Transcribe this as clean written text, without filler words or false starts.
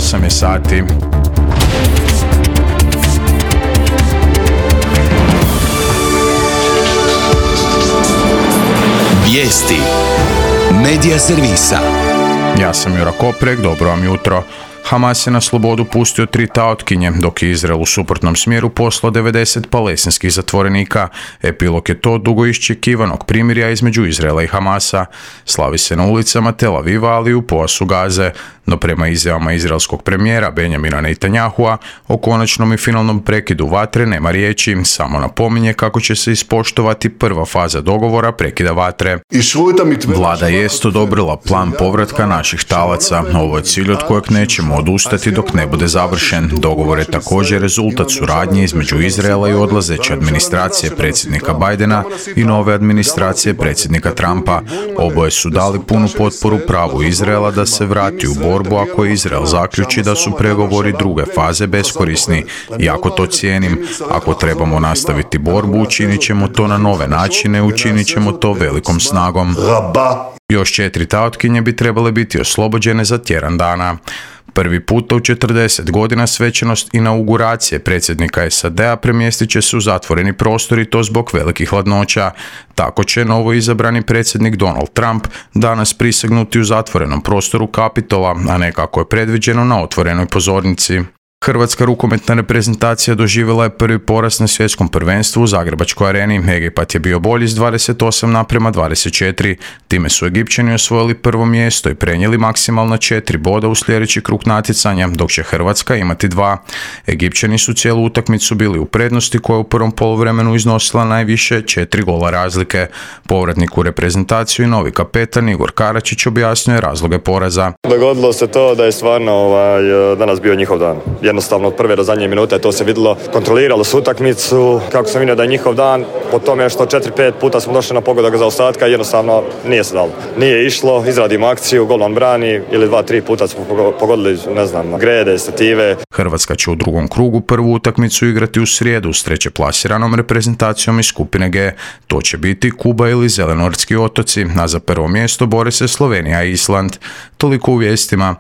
8 je sati. Vijesti Medija servisa. Ja sam Jura Koprek, dobro vam jutro. Hamas je na slobodu pustio 3 taotkinje, dok je Izrael u suprotnom smjeru poslao 90 palestinskih zatvorenika. Epilog je to dugo iščekivanog primirja između Izraela i Hamasa. Slavi se na ulicama Tel Aviva, ali i u pojasu Gaze. No prema izjavama izraelskog premijera Benjamina Netanyahua o konačnom i finalnom prekidu vatre nema riječi, samo napominje kako će se ispoštovati prva faza dogovora prekida vatre. Vlada jest odobrila plan povratka naših talaca. Ovo je cilj od kojeg nećemo odustati dok ne bude završen. Dogovor je također rezultat suradnje između Izraela i odlazeće administracije predsjednika Bidena i nove administracije predsjednika Trumpa. Oboje su dali punu potporu pravu Izraela da se vrati u borbu ako Izrael zaključi da su pregovori druge faze beskorisni. Jako to cijenim. Ako trebamo nastaviti borbu, učinit ćemo to na nove načine, učinit ćemo to velikom snagom. Još 4 taotkinje bi trebale biti oslobođene za tjedan dana. Prvi puta u 40 godina svečanost inauguracije predsjednika SAD-a premjestit će se u zatvoreni prostor i to zbog velikih hladnoća. Tako će novo izabrani predsjednik Donald Trump danas prisegnuti u zatvorenom prostoru Kapitola, a ne kako je predviđeno na otvorenoj pozornici. Hrvatska rukometna reprezentacija doživjela je prvi poraz na svjetskom prvenstvu u Zagrebačkoj areni. Egipat je bio bolji s 28:24. Time su Egipćani osvojili prvo mjesto i prenijeli maksimalno 4 boda u sljedeći krug natjecanja, dok će Hrvatska imati 2. Egipćani su cijelu utakmicu bili u prednosti koja je u prvom poluvremenu iznosila najviše 4 gola razlike. Povratnik u reprezentaciju i novi kapetan Igor Karačić objasnjuje razloge poraza. Dogodilo se to da je stvarno danas bio njihov dan. Jednostavno od prve do zadnje minute to se vidjelo, kontroliralo su utakmicu, kako sam vidio da je njihov dan, po tome što 4-5 puta smo došli na pogodak za ostatka, jednostavno nije se dalo. Nije išlo, izradimo akciju, golman brani ili 2-3 puta smo pogodili, ne znam, grede, stative. Hrvatska će u drugom krugu prvu utakmicu igrati u srijedu s treće plasiranom reprezentacijom iz skupine G. To će biti Kuba ili Zelenortski otoci, a za prvo mjesto bore se Slovenija i Island. Toliko u vijestima.